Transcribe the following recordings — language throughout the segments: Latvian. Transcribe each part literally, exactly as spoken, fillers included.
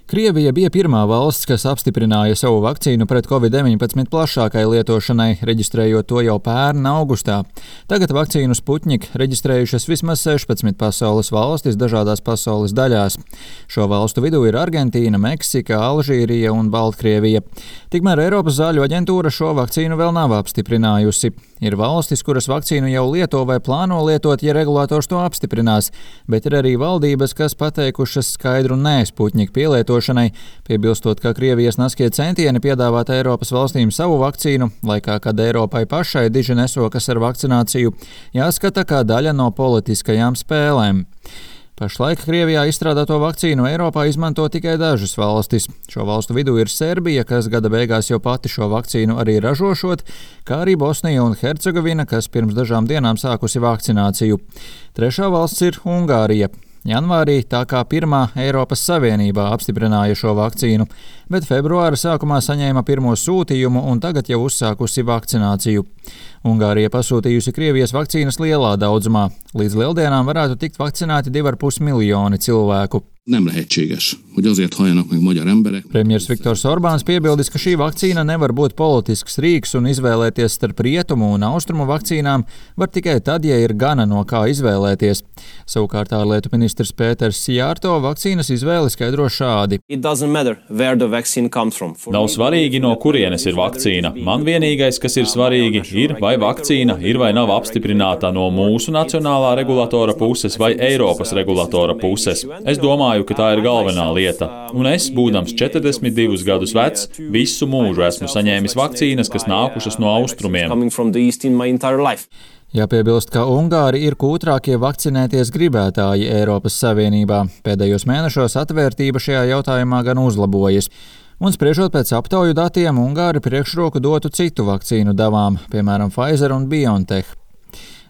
Krievija bija pirmā valsts, kas apstiprināja savu vakcīnu pret covid deviņpadsmit plašākai lietošanai, reģistrējot to jau pērn augustā. Tagad vakcīnu Sputnik reģistrējušas vismaz sešpadsmit pasaules valstis dažādās pasaules daļās. Šo valstu vidū ir Argentīna, Meksika, Alžīrija un Baltkrievija. Tikmēr Eiropas zāļu aģentūra šo vakcīnu vēl nav apstiprinājusi. Ir valstis, kuras vakcīnu jau lieto vai plāno lietot, ja regulators to apstiprinās, bet ir arī valdības, kas pateikušas skaidru nē Sputnik pielietošanai, piebilstot, ka Krievijas naskie centieni piedāvāt Eiropas valstīm savu vakcīnu, laikā, kad Eiropai pašai diži nesokas ar vakcināciju, jāskata kā daļa no politiskajām spēlēm. Pašlaik Krievijā izstrādāto vakcīnu Eiropā izmanto tikai dažas valstis. Šo valstu vidū ir Serbija, kas gada beigās jau pati šo vakcīnu arī ražošot, kā arī Bosnija un Hercegovina, kas pirms dažām dienām sākusi vakcināciju. Trešā valsts ir Ungārija. Janvārī tā kā pirmā Eiropas Savienībā apstiprināja šo vakcīnu, bet februāra sākumā saņēma pirmo sūtījumu un tagad jau uzsākusi vakcināciju. Ungārija pasūtījusi Krievijas vakcīnas lielā daudzumā. Līdz lieldienām varētu tikt vakcinēti divi ar pus miljoni cilvēku. Nem lehetséges, hogy azért halljanak meg magyar emberek. Premjers Viktors Orbāns piebildis, ka šī vakcīna nevar būt politisks rīks un izvēlēties starp rietumu un austrumu vakcīnām var tikai tad, ja ir gana no kā izvēlēties. Savukārt ārlietu ministrs Pēters Sijārto vakcīnas izvēli skaidro šādi. Nav svarīgi, no kurienes ir vakcīna. Man vienīgais, kas ir svarīgi, ir, vai vakcīna ir vai nav apstiprināta no mūsu nacionālā regulatora puses vai Eiropas regulatora puses. Es domāju, ka tā ir galvenā lieta. Un es, būdams četrdesmit divus gadus vecs, visu mūžu esmu saņēmis vakcīnas, kas nākušas no austrumiem. Jāpiebilst, ka Ungāri ir kūtrākie vakcinēties gribētāji Eiropas Savienībā. Pēdējos mēnešos atvērtība šajā jautājumā gan uzlabojas. Un spriežot pēc aptauju datiem, Ungāri priekšroku dotu citu vakcīnu devām, piemēram, Pfizer un BioNTech.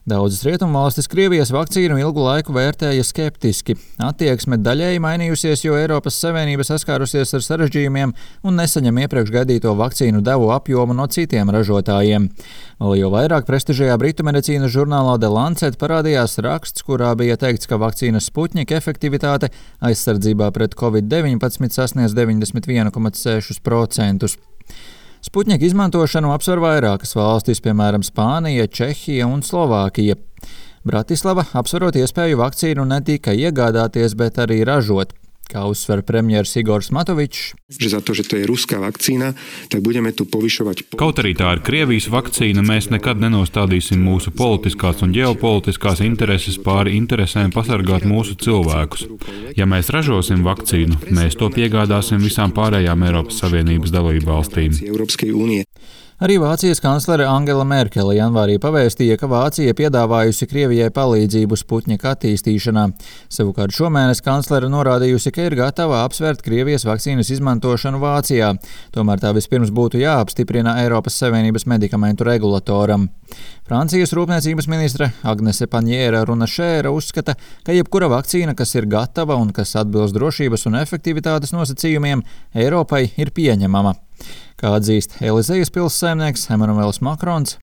Daudzas rietumvalstis Krievijas vakcīnu ilgu laiku vērtēja skeptiski. Attieksme daļēji mainījusies, jo Eiropas Savienība saskārusies ar sarežģījumiem un nesaņem iepriekš gaidīto vakcīnu devu apjomu no citiem ražotājiem. Vēl jau vairāk prestižajā britu medicīnas žurnālā The Lancet parādījās raksts, kurā bija teikts, ka vakcīnas Sputnik efektivitāte aizsardzībā pret covid deviņpadsmit sasniedz deviņdesmit viens komats seši procenti. Sputnik izmantošanu apsver vairākas valstis, piemēram, Spānija, Čehija un Slovākija. Bratislava apsverot iespēju vakcīnu ne tikai iegādāties, bet arī ražot. Kā uzsver premjers Igors Matovičs. Kaut arī tā ir Krievijas vakcīna, mēs nekad nenostādīsim mūsu politiskās un ģeopolitiskās intereses pāri interesēm pasargāt mūsu cilvēkus. Ja mēs ražosim vakcīnu, mēs to piegādāsim visām pārējām Eiropas Savienības dalībvalstīm. Arī Vācijas kanclere Angela Merkele janvārī pavēstīja, ka Vācija piedāvājusi Krievijai palīdzību Sputnika attīstīšanā. Savukārt šomēnes kanclere norādījusi, ka ir gatava apsvērt Krievijas vakcīnas izmantošanu Vācijā. Tomēr tā vispirms būtu jāapstiprina Eiropas Savienības medikamentu regulatoram. Francijas rūpniecības ministre Agnese Panjēra-Runašēra uzskata, ka jebkura vakcīna, kas ir gatava un kas atbilst drošības un efektivitātes nosacījumiem, Eiropai ir pieņemama. Kā atzīst Elizejas pilssaimnieks Emanuels Makrons.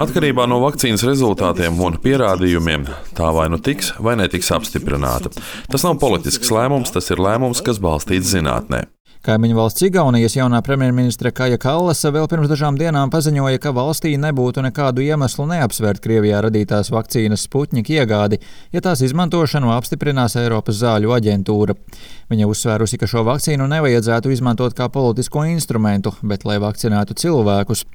Atkarībā no vakcīnas rezultātiem un pierādījumiem tā vai nu tiks vai netiks apstiprināta. Tas nav politisks lēmums, tas ir lēmums, kas balstīts zinātnē. Kaimiņu valsts Igaunijas jaunā premjerministre Kaja Kallasa vēl pirms dažām dienām paziņoja, ka valstī nebūtu nekādu iemeslu neapsvērt Krievijā radītās vakcīnas Sputnik iegādi, ja tās izmantošanu apstiprinās Eiropas zāļu aģentūra. Viņa uzsvērusi, ka šo vakcīnu nevajadzētu izmantot kā politisko instrumentu, bet lai vakcinētu cilvēkus.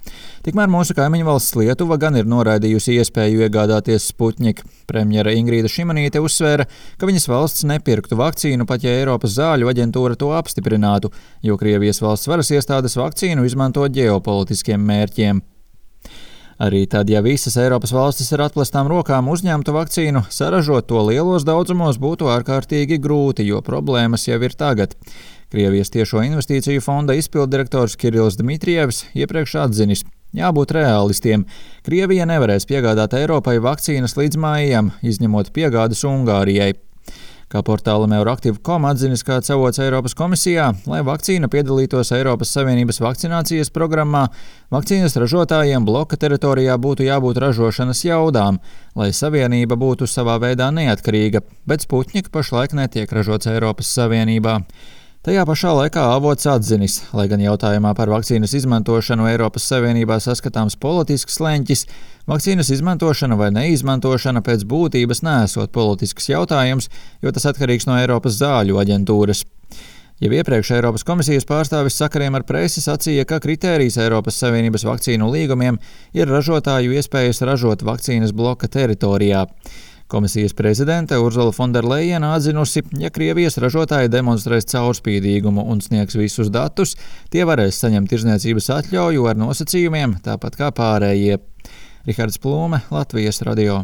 Tikmēr mūsu kaimiņu valsts Lietuva gan ir noraidījusi iespēju iegādāties Sputnik. Premjere Ingrīda Šimanīte uzsvēra, ka viņas valsts nepirktu vakcīnu, pat ja Eiropas zāļu aģentūra to apstiprinātu, jo Krievijas valsts varas iestādes vakcīnu izmanto ģeopolitiskiem mērķiem. Arī tad, ja visas Eiropas valstis ar atplestām rokām uzņemtu vakcīnu, saražot to lielos daudzumos būtu ārkārtīgi grūti, jo problēmas jau ir tagad. Krievijas tiešo investīciju fonda izpilddirektors Kirills Dmitrievs iepriekš atzinis. Jābūt realistiem. Krievija nevarēs piegādāt Eiropai vakcīnas līdz maijam, izņemot piegādes Ungārijai. Kā portālam Euraktiv punkt com atzinis kāds avots Eiropas komisijā, lai vakcīna piedalītos Eiropas Savienības vakcinācijas programmā, vakcīnas ražotājiem bloka teritorijā būtu jābūt ražošanas jaudām, lai Savienība būtu savā veidā neatkarīga, bet Sputnik pašlaik netiek ražots Eiropas Savienībā. Tajā pašā laikā avots atzinis, lai gan jautājumā par vakcīnas izmantošanu Eiropas Savienībā saskatāms politisks leņķis, vakcīnas izmantošana vai neizmantošana pēc būtības neesot politisks jautājums, jo tas atkarīgs no Eiropas zāļu aģentūras. Jau iepriekš Eiropas komisijas pārstāvis sakariem ar presi sacīja, ka kritērijs Eiropas Savienības vakcīnu līgumiem ir ražotāju iespējas ražot vakcīnas bloka teritorijā. Komisijas prezidente Urzula Fonderlejena atzinusi, ja Krievijas ražotāji demonstrēs caurspīdīgumu un sniegs visus datus, tie varēs saņemt tirdzniecības atļauju ar nosacījumiem, tāpat kā pārējie. Rihards Plūme, Latvijas radio.